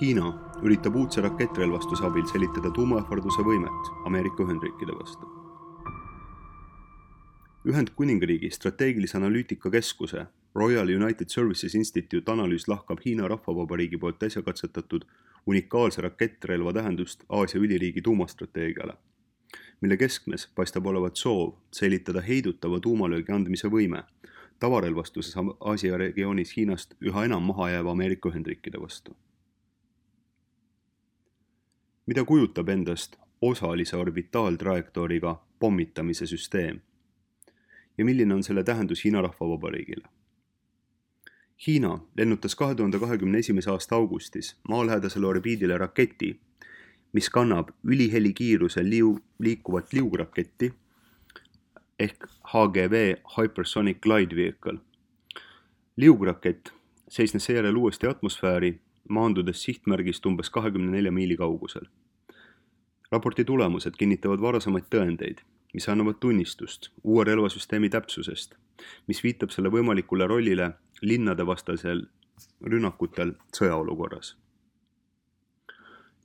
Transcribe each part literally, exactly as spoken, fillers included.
Hiina üritab uudse rakettrelvastuse abil säilitada tuumaähvarduse võimet Ameerika Ühendriikide vastu. Ühendkuningriigi strateegilise analüütika keskuse Royal United Services Institute analüüs lahkab Hiina Rahvavabariigi poolt äsja katsetatud unikaalse rakettrelva tähendust Aasia üliriigi tuumastrateegiale, mille keskmes paistab olevat soov säilitada heidutava tuumalöögi andmise võime tavarelvastuses Aasia regioonis Hiinast üha enam maha jääva Ameerika Ühendriikide vastu. Mida kujutab endast osalise orbitaaltrajektooriga pommitamise süsteem ja milline on selle tähendus Hiina Rahvavabariigile? Hiina lennutas kahe tuhande kahekümne esimese aasta augustis maalähedasele orbiidile raketi, mis kannab ülihelikiirusel liu, liikuvat liugraketti ehk H G V Hypersonic Glide Vehicle. Liugrakett seisnes seejärel uuesti atmosfääri, maandudes sihtmärgist umbes kahekümne nelja miili kaugusel. Raporti tulemused kinnitavad varasemaid tõendeid, mis annavad tunnistust uue relvasüsteemi täpsusest, mis viitab selle võimalikule rollile linnade vastasel rünnakutel sõjaolukorras.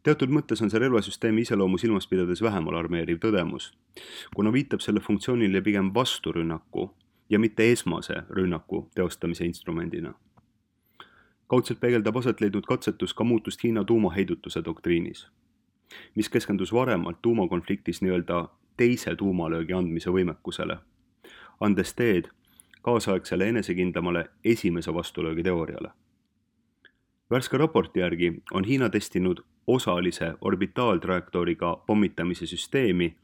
Teatud mõttes on see relvasüsteemi iseloomu silmas pidades vähem alarmeeriv tõdemus, kuna viitab selle funktsioonile pigem vasturünnaku ja mitte esmase rünnaku teostamise instrumendina. Kaudselt peegeldab aset leidnud katsetus ka muutust Hiina tuumaheidutuse doktriinis, mis keskendus varemalt tuumakonfliktis nii-öelda teise tuumalöögi andmise võimekusele, andes teed kaasaegsele enesekindlamale esimese vastulöögi teooriale. Värske raporti järgi on Hiina testinud osalise orbitaaltrajektooriga pommitamise süsteemi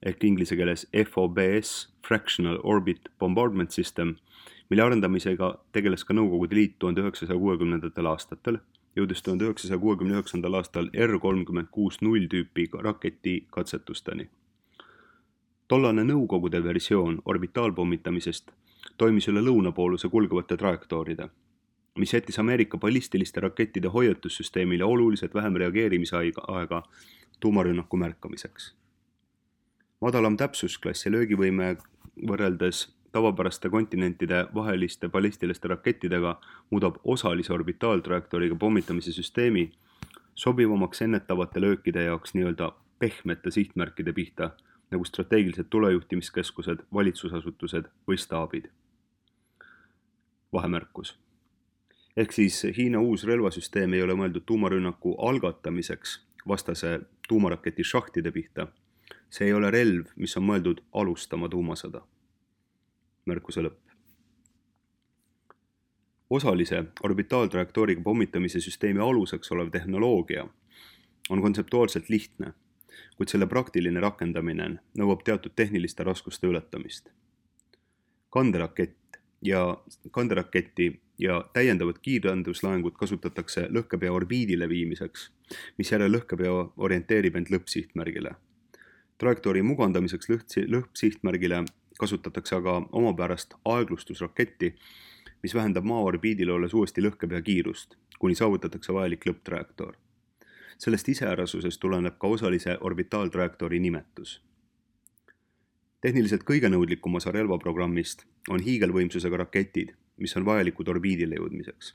ehk inglise keeles F O B S, Fractional Orbit Bombardment System, mille arendamisega tegeles ka Nõukogude Liit tuhande üheksasaja kuuekümnendatel aastatel, jõudes tuhande üheksasaja kuuekümne üheksandal aastal R kolmkümmend kuus null tüüpi raketi katsetusteni. Tollane Nõukogude versioon orbitaalpommitamisest toimis üle lõunapooluse kulgevate trajektooride, mis jättis Ameerika ballistiliste rakettide hoiatussüsteemile oluliselt vähem reageerimise aega tuumarünnaku märkamiseks. Madalam täpsusklass ja löögivõime võrreldes tavapäraste kontinentide vaheliste ballistiliste rakettidega muudab osalise orbitaaltrajektooriga pommitamise süsteemi sobivamaks ennetavate löökide jaoks nii-öelda pehmete sihtmärkide pihta, nagu strateegilised tulejuhtimiskeskused, valitsusasutused või staabid. Vahemärkus. Ehk siis Hiina uus relvasüsteem ei ole mõeldud tuumarünnaku algatamiseks vastase tuumaraketi šahtide pihta. See ei ole relv, mis on mõeldud alustama tuumasõda. Märkuse lõpp. Osalise orbitaaltrajektooriga pommitamise süsteemi aluseks olev tehnoloogia on kontseptuaalselt lihtne, kuid selle praktiline rakendamine nõuab teatud tehniliste raskuste ületamist. Kanderakett ja kanderaketti ja täiendavat kiirranduslaengut kasutatakse lõhkepea orbiidile viimiseks, mis järel lõhkepea orienteerib end lõppsihtmärgile. Trajektoori mugandamiseks lõppsihtmärgile kasutatakse aga omapärast aeglustusraketti, mis vähendab maa orbiidile olles uuesti lõhkepea kiirust, kuni saavutatakse vajalik lõpptrajektoor. Sellest iseärasusest tuleneb ka osalise orbitaaltrajektoori nimetus. Tehniliselt kõige nõudlikum osa relvaprogrammist on hiigelvõimsusega raketid, mis on vajalikud orbiidile jõudmiseks.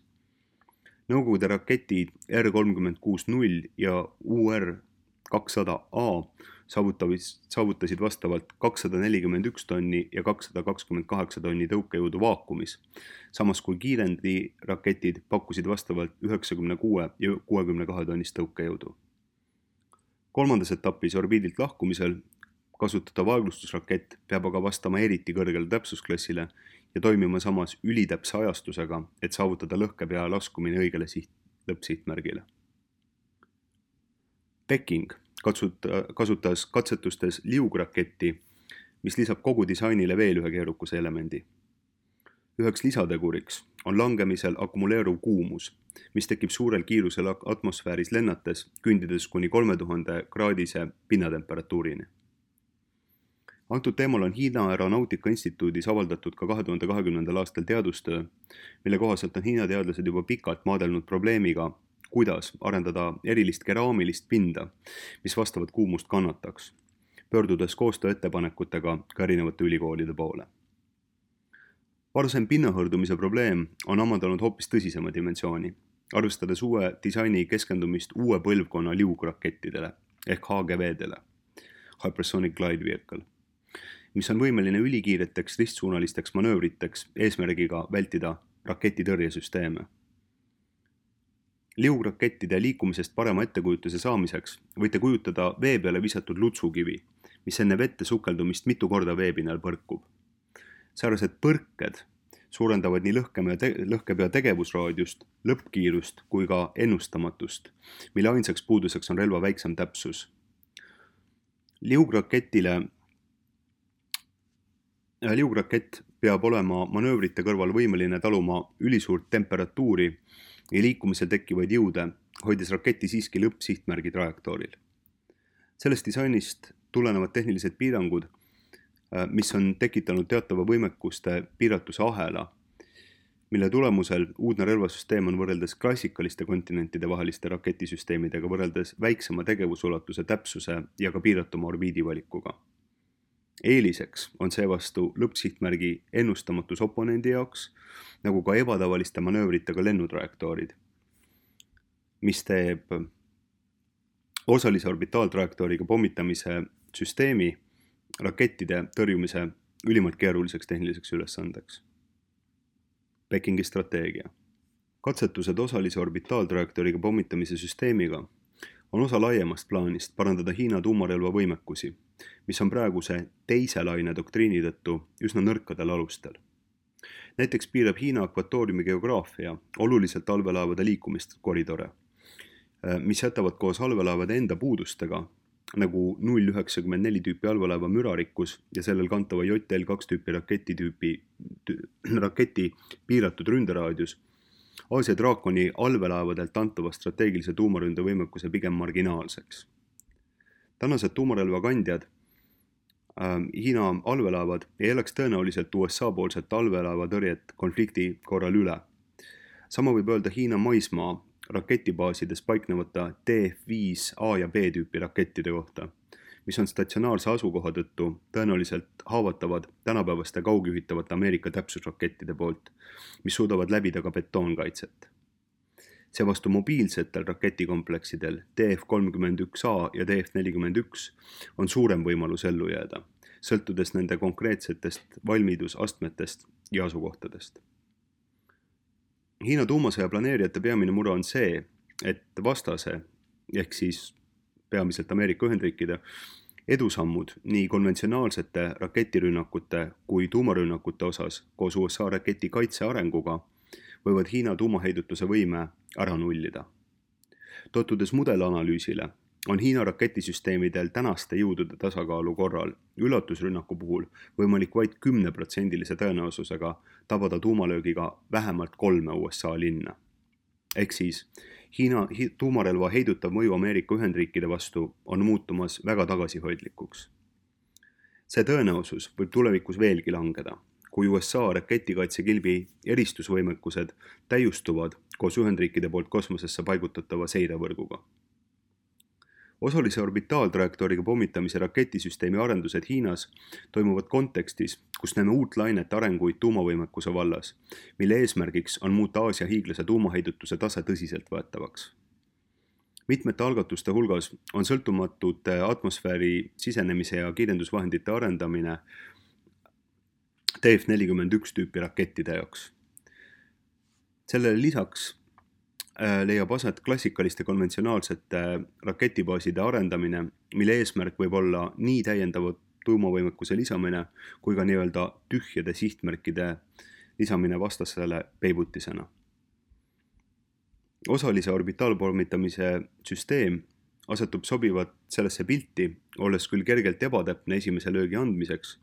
Nõukogude raketid R kolmkümmend kuus null ja U R kakssada A saavutasid vastavalt kakssada nelikümmend üks tonni ja kakssada kakskümmend kaheksa tonni tõukejõudu vaakumis, samas kui kiirendi raketid pakkusid vastavalt üheksakümne kuue ja kuuekümne kahe tonnist tõukejõudu. Kolmandas etapis orbiidilt lahkumisel kasutatav aeglustusrakett peab aga vastama eriti kõrgele täpsusklassile ja toimima samas ülitäpse ajastusega, et saavutada lõhkepea laskumine õigele siht, lõppsihtmärgile. Peking kasutas katsetustes liugraketti, mis lisab kogu disainile veel ühe keerukuse elemendi. Üheks lisateguriks on langemisel akumuleeruv kuumus, mis tekib suurel kiirusel atmosfääris lennates, kündides kuni kolme tuhande kraadise pinnatemperatuurini. Antud teemal on Hiina Aeronautika Instituudis avaldatud ka kahe tuhande kahekümnendal aastal teadustöö, mille kohaselt on Hiina teadlased juba pikalt maadelnud probleemiga, kuidas arendada erilist keraamilist pinda, mis vastavat kuumust kannataks, pöördudes koostööettepanekutega ka erinevate ülikoolide poole. Varasem pinnahõrdumise probleem on omandanud hoopis tõsisema dimensiooni arvestades uue disaini keskendumist uue põlvkonna liugrakettidele ehk H G V-dele, Hypersonic Glide Vehicle, mis on võimeline ülikiireteks ristsuunalisteks manöövriteks eesmärgiga vältida raketitõrjesüsteeme. Liugrakettide liikumisest parema ettekujutuse saamiseks võite kujutada vee peale visatud lutsukivi, mis enne vette sukeldumist mitu korda veepinnal põrkub. Säärased põrked suurendavad nii lõhkepea, te lõhkepea tegevusraadiust, lõppkiirust kui ka ennustamatust, mille ainsaks puuduseks on relva väiksem täpsus. Liugraketile Liugrakett peab olema manöövrite kõrval võimeline taluma ülisuurt temperatuuri ja liikumisel tekkivaid jõude, hoides raketi siiski lõppsihtmärgi trajektooril. Sellest disainist tulenevad tehnilised piirangud, mis on tekitanud teatava võimekuste piiratuse ahela, mille tulemusel uudne relvasüsteem on võrreldes klassikaliste kontinentide vaheliste raketisüsteemidega võrreldes väiksema tegevusulatuse täpsuse ja ka piiratuma orbiidivalikuga. Eeliseks on seevastu lõppsihtmärgi ennustamatus oponendi jaoks, nagu ka ebatavaliste manöövritega lennutrajektoorid, mis teeb osalise orbitaaltrajektooriga pommitamise süsteemi rakettide tõrjumise ülimalt keeruliseks tehniliseks ülesandeks. Pekingi strateegia. Katsetused osalise orbitaaltrajektooriga pommitamise süsteemiga on osa laiemast plaanist parandada Hiina tuumarelva võimekusi, mis on praeguse teise laine doktriini tõttu üsna nõrkadel alustel. Näiteks piirab Hiina akvatooriumi geograafia oluliselt allveelaevade liikumist koridore, mis jätavad koos allveelaevade enda puudustega, nagu null üheksakümmend neli tüüpi allveelaeva mürarikkus ja sellel kantava J L kaks tüüpi raketi, tüüpi, raketi piiratud ründeraadius, Aasia draakoni allveelaevadelt antava strateegilise tuumaründe võimekuse pigem marginaalseks. Tänased tuumarelva kandjad, äh, Hiina allveelaevad ei elaks tõenäoliselt U S A poolset allveelaeva tõrjet konflikti korral üle. Sama võib öelda Hiina maismaa raketibaasides paiknevata D F viis A ja B tüüpi rakettide kohta, mis on statsionaarse asukoha tõttu tõenäoliselt haavatavad tänapäevaste kaugjuhitavate Ameerika täpsusrakettide poolt, mis suudavad läbida ka betoonkaitset. Seevastu mobiilsetel raketikompleksidel D F kolmkümmend üks A ja D F nelikümmend üks on suurem võimalus ellu jääda, sõltudes nende konkreetsetest valmidusastmetest ja asukohtadest. Hiina tuumasõja planeerijate peamine mure on see, et vastase, ehk siis peamiselt Ameerika Ühendriikide, edusammud nii konventsionaalsete raketirünnakute kui tuumarünnakute osas koos U S A raketi kaitse arenguga võivad Hiina tuumaheidutuse võime ära nullida. Totudes mudelanalüüsile on Hiina raketisüsteemidel tänaste jõudude tasakaalu korral üllatusrünnaku puhul võimalik vaid kümneprotsendilise tõenäosusega tabada tuumalöögiga vähemalt kolme U S A linna. Ehk siis Hiina tuumarelva heidutav mõju Ameerika Ühendriikide vastu on muutumas väga tagasihoidlikuks. See tõenäosus võib tulevikus veelgi langeda, kui U S A raketikaitsekilbi eristusvõimekused täiustuvad koos Ühendriikide poolt kosmosesse paigutatava seirevõrguga. Osalise orbitaaltrajektooriga pommitamise raketisüsteemi arendused Hiinas toimuvad kontekstis, kus näeme uut lainet arenguid tuumavõimekuse vallas, mille eesmärgiks on muuta Aasia hiiglase tuumaheidutuse tase tõsiselt võetavaks. Mitmete algatuste hulgas on sõltumatute atmosfääri sisenemise ja kiirendusvahendite arendamine D F nelikümmend üks tüüpi rakettide jaoks. Sellele lisaks leiab aset klassikaliste konventsionaalsete raketibaaside arendamine, mille eesmärk võib olla nii täiendava tuumavõimekuse lisamine kui ka nii-öelda tühjade sihtmärkide lisamine vastasele peibutisena. Osalise orbitaalpommitamise süsteem asetub sobivat sellesse pilti, olles küll kergelt ebatäpne esimese löögi andmiseks,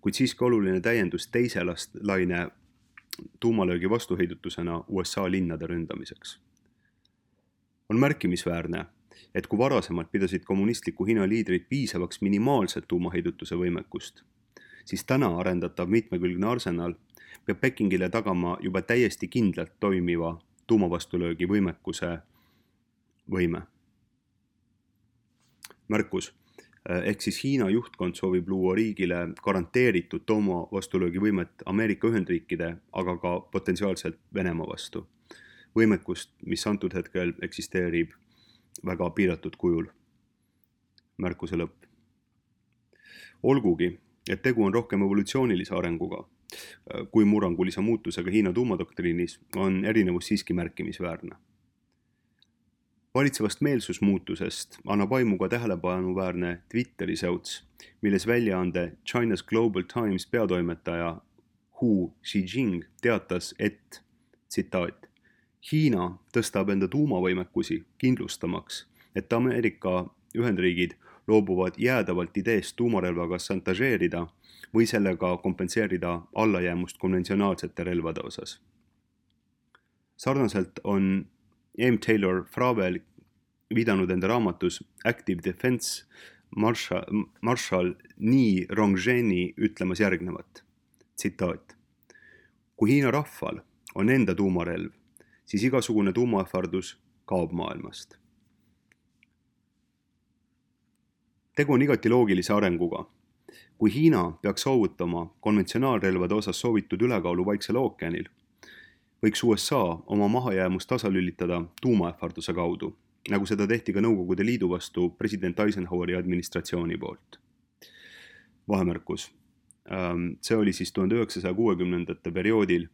kuid siiski oluline täiendus teise laine tuumalöögi vastuheidutusena U S A linnade ründamiseks. On märkimisväärne, et kui varasemalt pidasid kommunistliku Hiina liidrid piisavaks minimaalset tuumaheidutuse võimekust, siis täna arendatav mitmekülgne arsenal peab Pekingile tagama juba täiesti kindlalt toimiva tuumavastulöögi võimekuse võime. Märkus. Ehk siis Hiina juhtkond soovib luua riigile garanteeritud tuumavastulöögi võimet Ameerika Ühendriikide, aga ka potentsiaalselt Venemaa vastu. võimekust, mis antud hetkel eksisteerib väga piiratud kujul. Märkuse lõpp. Olgugi, et tegu on rohkem evolutsioonilise arenguga kui murrangulise muutusega Hiina tuumadoktriinis, on erinevus siiski märkimisväärne. Valitsevast meelsusmuutusest annab aimu ka tähelepanuväärne Twitteri säuts, milles väljaande China's Global Times peatoimetaja Hu Xijing teatas, et, tsitaat, Hiina tõstab enda tuumavõimekusi kindlustamaks, et Ameerika Ühendriigid loobuvad jäädavalt ideest tuumarelvaga šantažeerida või sellega kompenseerida allajäämust konventsionaalsete relvade osas. Sarnaselt on M. Taylor Fravel viidanud enda raamatus Active Defense Marshall, Marshall Ni Rongzheni ütlemas järgnevat, tsitaat. Kui Hiina rahval on enda tuumarelv, siis igasugune tuumaähvardus kaob maailmast. Tegu on igati loogilise arenguga. Kui Hiina peaks soovutama konventsionaalrelvade osas soovitud ülekaalu Vaiksel ookeanil, võiks U S A oma mahajäämust tasalülitada tuumaähvarduse kaudu, nagu seda tehti ka Nõukogude Liidu vastu president Eisenhoweri administratsiooni poolt. Vahemärkus. See oli siis tuhande üheksasaja kuuekümnendate perioodil,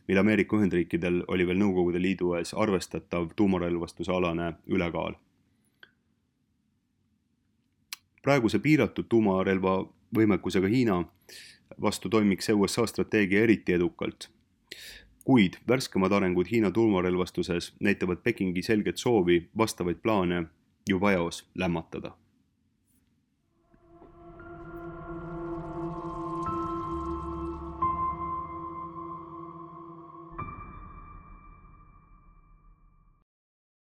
mil Ameerika Ühendriikidel oli veel Nõukogude Liidu ees arvestatav tuumarelvastuse alane ülekaal. Praeguse piiratud tuumarelva võimekusega Hiina vastu toimiks U S A strateegia eriti edukalt, kuid värskemad arengud Hiina tuumarelvastuses näitavad Pekingi selget soovi vastavaid plaane juba eos lämmatada.